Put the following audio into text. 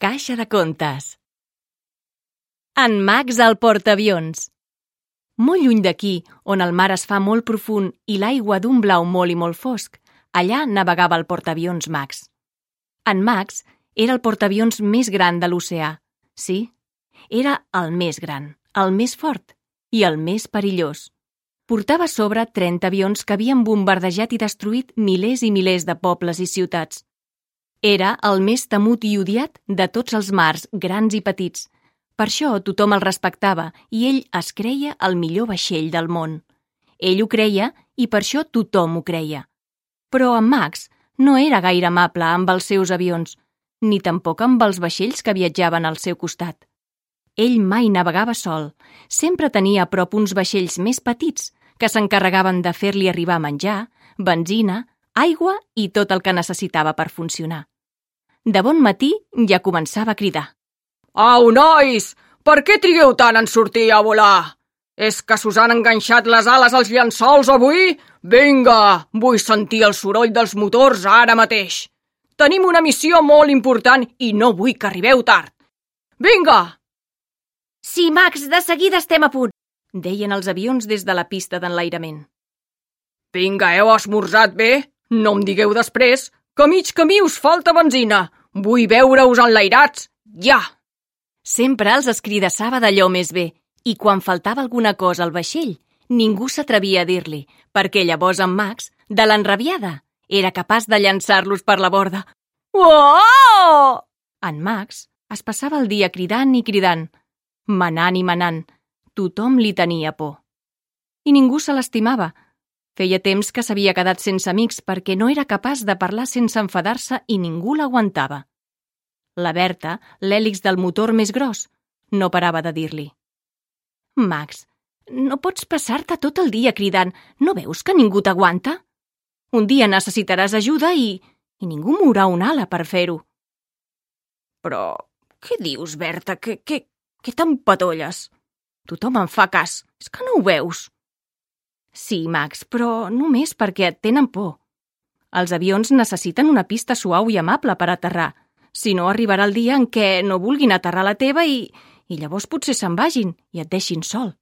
caixa de contes. En Max al portaavions. Molt lluny d'aquí, on el mar es fa molt profund i l'aigua d'un blau molt i molt fosc, allà navegava el portaavions Max. En Max era el portaavions més gran de l'oceà. Sí, era el més gran, el més fort i el més perillós. Portava a sobre 30 avions que havien bombardejat i destruït milers i milers de pobles i ciutats. Era el més temut i odiat de tots els mars, grans i petits. Per això tothom el respectava i ell es creia el millor vaixell del món. Ell ho creia i per això tothom ho creia. Però en Max no era gaire amable amb els seus avions, ni tampoc amb els vaixells que viatjaven al seu costat. Ell mai navegava sol. Sempre tenia a prop uns vaixells més petits que s'encarregaven de fer-li arribar menjar, benzina, aigua i tot el que necessitava per funcionar. De bon matí ja començava a cridar. Au, nois! Per què trigueu tant en sortir a volar? És que s'us han enganxat les ales als llençols avui? Vinga, vull sentir el soroll dels motors ara mateix. Tenim una missió molt important i no vull que arribeu tard. Vinga! Sí, Max, de seguida estem a punt, deien els avions des de la pista d'enlairament. Vinga, heu esmorzat bé? No em digueu després que a mig camí us falta benzina. Vull veure-us enlairats, ja! Sempre els escridassava d'allò més bé, i quan faltava alguna cosa al vaixell, ningú s'atrevia a dir-li, perquè llavors en Max, de l'enrabiada, era capaç de llançar-los per la borda. Oh! En Max es passava el dia cridant i cridant, manant i manant. Tothom li tenia por. I ningú se l'estimava. Feia temps que s'havia quedat sense amics perquè no era capaç de parlar sense enfadar-se i ningú l'aguantava. La Berta, l'hèlix del motor més gros, no parava de dir-li. Max, no pots passar-te tot el dia cridant. No veus que ningú t'aguanta? Un dia necessitaràs ajuda i ningú mourà una ala per fer-ho. Però què dius, Berta? Què t'empatolles? Tothom em fa cas. És que no ho veus? Sí, Max, però només perquè et tenen por. Els avions necessiten una pista suau i amable per aterrar. Si no, arribarà el dia en què no vulguin aterrar la teva i llavors potser se'n vagin i et deixin sol.